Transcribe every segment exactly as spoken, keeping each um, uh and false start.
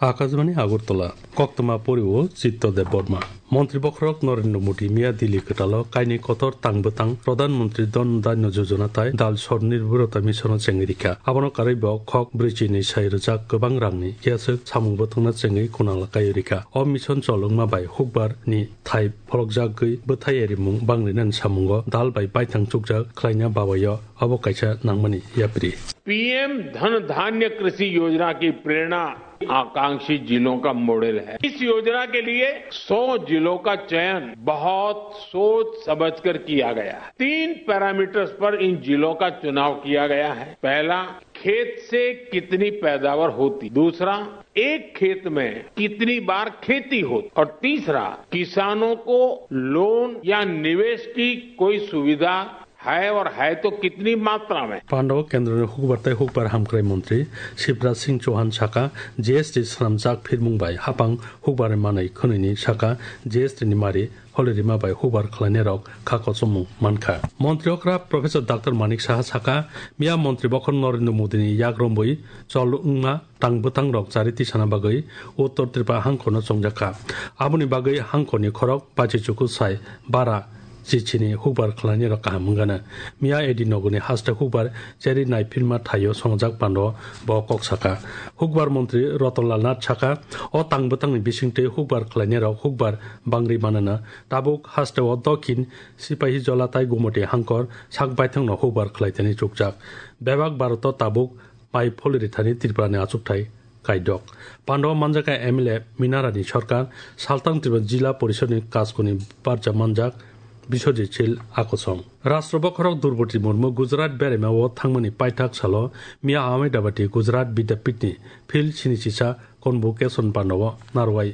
Akashbani Agartala, koktwma poriwo Chitto Deb Borma. Montri bokhorok Narendra Modi miya Delhi kwtalo kainwi kotor tang bwtang Pradhan Mantri Dhan Dhanya Yojana tai Dal Swarnibhorta Mission o chengwi rikha. Abono karwi bo khok brwichi ni sai rwjak kwbang rangni yaswk samung bwtwkna chengwi kunala kaiwi rikha. O mission chol wngma bai hukbar ni thai pholokjagwi bwthai erimung bangrinani samungo dal bai baithang chukjak khlaina babaio abo kaisa nangmani yapri. PM धन धान्य कृषि योजना की प्रेरणा आकांक्षी जिलों का मॉडल है। इस योजना के लिए सौ जिलों का चयन बहुत सोच समझकर किया गया है। तीन पैरामीटर्स पर इन जिलों का चुनाव किया गया है। पहला, खेत से कितनी पैदावार होती, दूसरा, एक खेत में कितनी बार खेती होती, और तीसरा, किसानों को लोन या निवेश की कोई सुविधा है और है तो कितनी मात्रा में। Pando kendroni hukbar tai hukbar hamkrai montri Shivraj Singh Chauhan saka, G S T swnamjak phirmung bai hapang hukbar manwi khwnwini saka G S T ni mari holirima bai hukbar khlainairok kha kochomung mankha. Montri okra Professor Doctor Manik Saha saka, miya montri bokhor Narendra Modi ni yak romwi chol wngma tang bwtang rok chari tisana bagwi Uttor Tripura hangkhorno chongjakha. Aboni bagwi hangkhorni khorok pachichuku sai bara chichini hukbar khlainai rok kaham wngana. Miya A D nogoni haste hukbar cheri naiphilma thaio songjak pando bo kok saka. Hukbar montri Ratan Lal Nath saka, o tang bwtangni bisingtwi hukbar khlainai rok hukbar bangri manana. Tabuk haste o Dokhin Sipahi Jola tai Gumoti hangkor sak baithangno hukbar khlaitani chukjak. Bebak Bharoto tabuk mai pholirithani Tripurani achukthai kaidok. Pando manjakha M L A Minarani Sarkar, Saltang Tripura Jila Porishodni Kaskoni Barja manjak Biswajit Sil Akosong. Rashtra bokhorok Droupadi Murmu Gujarat beraima o thangmani paithak salo miya Ahmedabad Gujarat Vidyapithni Phil sini sisa Convocation Pando o narwai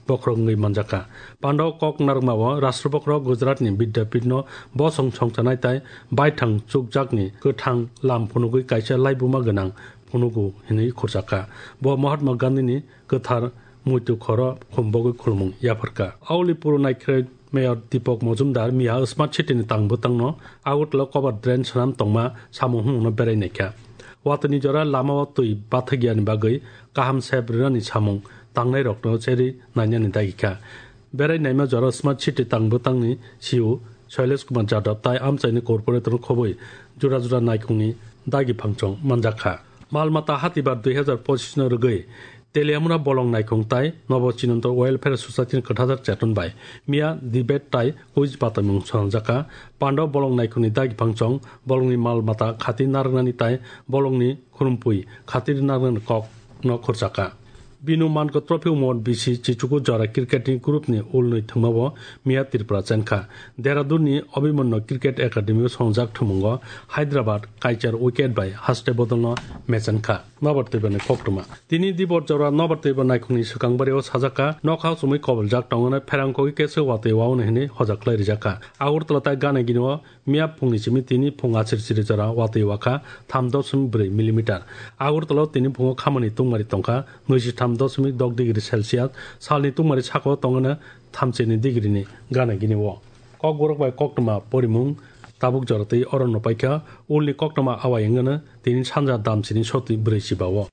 bokhorok wngwi manjakha. Pando kok narwkmao Rashtra bokhorok Gujaratni Vidyapithno bosong songchanai tai baithang chukjakni kwthang lam phunugwi kaisa laibuma gwnang phunugo hinwi khurjakha. Bo Mahatma Gandhini kwthar muitu khoro khumbogwi khulumung yapharkha. Auli puru naikhrwi Mayor Deepak Majumdar miya Smart City ni tang bwtangno Agartala cover drain swnam tongma samung hwnno berai naikha. Watwini jora lamao twi bathagyani bagwi kaham sep rwnani samung tangnairokno cherwi nainani dagikha. Berai naima jora Smart City tang bwtangni C E O Shailesh Kumar Jadhav tai amchaini corporator khobwi jora jora naikhungni dagi phangchong manjakha. Mal mata hatibar dui hazar pochisno rwgwi Teliamura bolong naikhung tai Nobo Chinonto Welfare Society ni kwthajak cheton bai miya debate tai quiz batamung swnamjakha. Pando bolong naikhungni dagi phangchong bolongni mal mata khati narwknani tai bolongni khurumpui khatir narwknani kok no khurjakha. Binu Mankho Trophy Umor bisi chichuku jora cricket ni group ni ulnwi thwngmao miya Tripura chenkha. Dehradun ni Abhimanyu Cricket Academy o songjak thwngmungo Hyderabad kaichar wicket bai haste bodolno mechenkha. Nobar twibani koktwma. Tini dibor jora nobar twibo naikhungni swkang bario sajaka nokha chumui koboljak tongwno pherang kogwi kesa watwi waono hinwi hojak khlai rijakha. Agartala tai Ganagini o miya phungni simi tini phung achir chiri jora watwi wakha tham doshmik bwrwi millimeter. Agartala o tini phungo khamani tungmari tongkha nwichi tham doshmik dok degree Celsius, salni tungmari sakao tongwno thamchini degree ni Ganagini o. Kokborok bai koktwma porimung tabuk jora twi oro no paikha, ulni koktwma awai wngwno tini sanja damchini sotwi bwrwi chiba o.